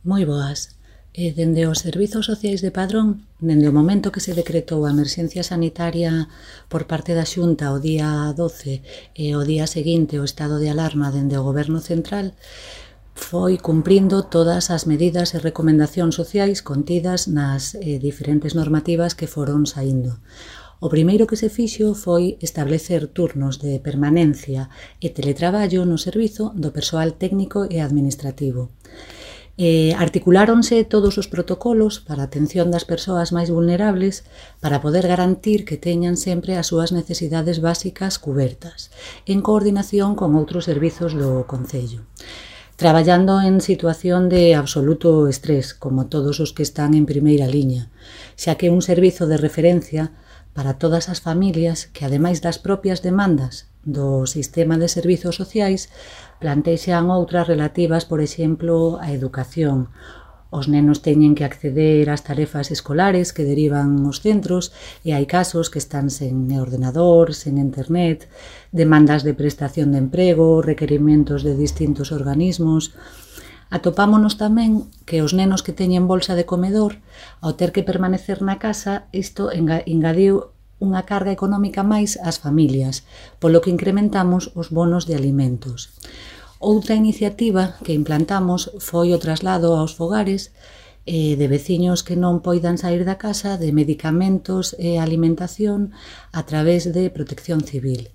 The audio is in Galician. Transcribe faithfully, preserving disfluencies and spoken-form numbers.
Moi boas. E dende os Servizos Sociais de Padrón, dende o momento que se decretou a emerxencia sanitaria por parte da Xunta o día doce e o día seguinte o estado de alarma dende o Goberno Central, foi cumprindo todas as medidas e recomendacións sociais contidas nas eh, diferentes normativas que foron saindo. O primeiro que se fixo foi establecer turnos de permanencia e teletraballo no servizo do persoal técnico e administrativo. Eh, articuláronse todos os protocolos para a atención das persoas máis vulnerables para poder garantir que teñan sempre as súas necesidades básicas cubertas, en coordinación con outros servizos do Concello, traballando en situación de absoluto estrés, como todos os que están en primeira liña, xa que é un servizo de referencia para todas as familias que, ademais das propias demandas do sistema de servizos sociais, plantexan outras relativas, por exemplo, á educación. Os nenos teñen que acceder ás tarefas escolares que derivan os centros e hai casos que están sen ordenador, sen internet, demandas de prestación de emprego, requerimentos de distintos organismos. Atopámonos tamén que os nenos que teñen bolsa de comedor, ao ter que permanecer na casa, isto engadiu unha carga económica máis ás familias, polo que incrementamos os bonos de alimentos. Outra iniciativa que implantamos foi o traslado aos fogares de veciños que non poidan sair da casa de medicamentos e alimentación a través de Protección Civil.